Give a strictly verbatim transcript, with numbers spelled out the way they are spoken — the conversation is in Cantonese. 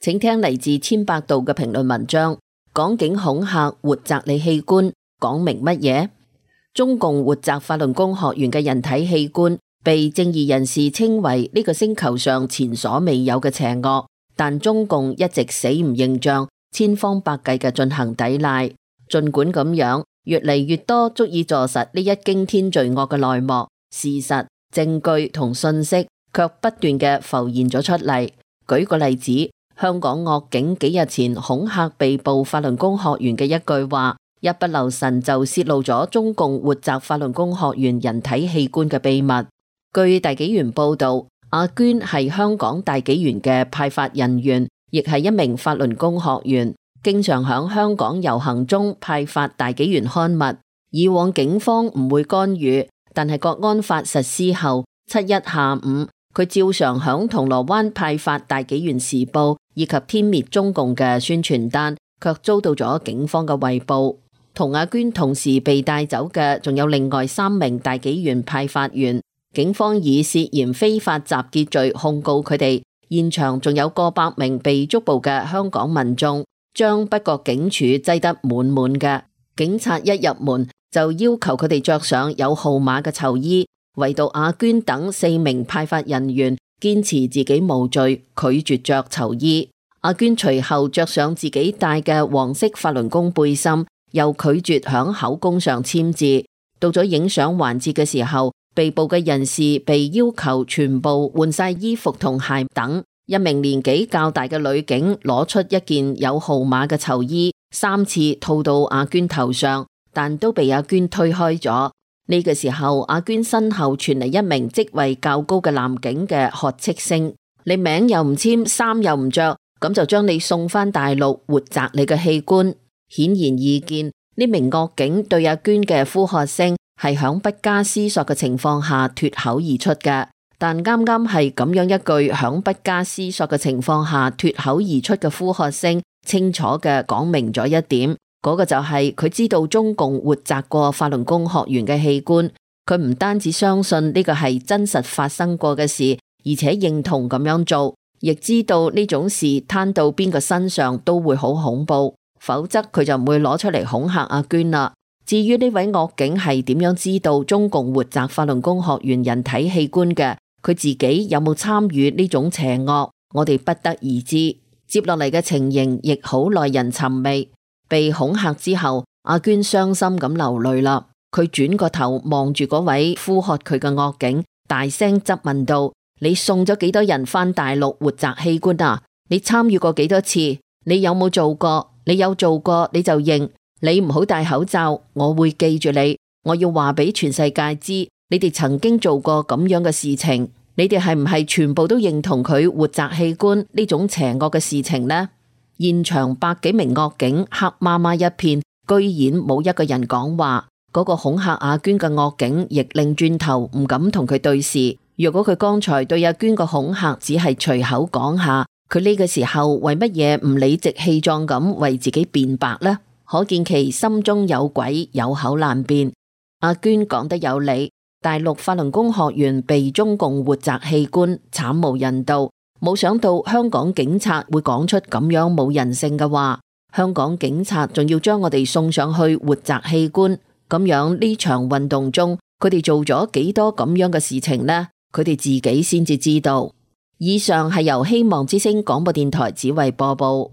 請聽嚟自千百度嘅評論文章，港警恐嚇活摘你器官，講明乜嘢？中共活摘法輪功學員嘅人體器官，被正義人士稱為呢個星球上前所未有嘅邪惡，但中共一直死唔認賬，千方百計嘅進行抵賴。儘管咁樣，越嚟越多足以坐實呢一驚天罪惡嘅內幕、事實、證據同信息，卻不斷嘅浮現咗出嚟。舉個例子，香港惡警幾日前恐嚇被捕法輪功學員嘅一句話，一不留神就泄露咗中共活摘法輪功學員人體器官嘅秘密。據大紀元報道，阿娟係香港大紀元嘅派發人員，亦係一名法輪功學員，經常響香港遊行中派發大紀元刊物。以往警方唔會干預，但係國安法實施後，七一下午佢照常響銅鑼灣派發大紀元時報以及天滅中共嘅宣傳單，卻遭到咗警方嘅圍捕。同阿娟同時被帶走嘅仲有另外三名大紀元派發員，警方以涉嫌非法集結罪控告佢哋。現場仲有過百名被捉捕嘅香港民眾，將北角警署擠得滿滿嘅。警察一入門就要求佢哋着上有號碼嘅囚衣，唯獨阿娟等四名派發人員堅持自己無罪，拒絕着囚衣。阿娟隨後着上自己帶嘅黃色法輪功背心，又拒絕響口供上簽字。到咗影相環節嘅時候，被捕嘅人士被要求全部換晒衣服同鞋等。一名年紀較大嘅女警攞出一件有號碼嘅囚衣，三次套到阿娟頭上，但都被阿娟推開咗。呢個時候，阿娟身後傳嚟一名職位較高嘅男警嘅喝斥聲：你名又唔簽，衫又唔着，咁就將你送返大陸活摘你嘅器官。顯然易見，呢名惡警對阿娟嘅呼喝聲係響不加思索嘅情況下脫口而出嘅。但啱啱係咁樣一句響不加思索嘅情況下脫口而出嘅呼喝聲，清楚嘅講明咗一點，嗰個就係佢知道中共活摘過法輪功學員嘅器官，佢唔單止相信呢個係真實發生過嘅事，而且認同咁樣做，亦知道呢種事攤到邊個身上都會好恐怖，否則佢就唔會攞出嚟恐嚇阿娟啦。至於呢位惡警係點樣知道中共活摘法輪功學員人體器官嘅，佢自己有冇參與呢種邪惡，我哋不得而知。接落嚟嘅情形亦好耐人尋味。被恐嚇之後，阿娟傷心咁流淚啦。佢轉個頭望住嗰位呼喝佢嘅惡警，大聲質問道：你送咗幾多人返大陸活摘器官啊？你參與過幾多次？你有冇做過？你有做過你就認。你唔好戴口罩，我會記住你。我要話俾全世界知，你哋曾經做過咁樣嘅事情。你哋係唔係全部都認同佢活摘器官呢種邪惡嘅事情呢？現場百幾名惡警黑麻麻一片，居然冇一個人講話。嗰個恐嚇阿娟嘅惡警亦擰轉頭唔敢同佢對視。若果佢剛才對阿娟個恐嚇只係隨口講下，佢呢個時候為乜嘢唔理直氣壯咁為自己辯白呢？可見其心中有鬼，有口難辯。阿娟講得有理，大陸法輪功學員被中共活摘器官，慘無人道。冇想到香港警察會講出咁樣冇人性嘅話，香港警察仲要將我哋送上去活摘器官，咁樣呢場運動中，佢哋做咗幾多咁樣嘅事情呢？佢哋自己先至知道。以上係由希望之聲廣播電台指為播報。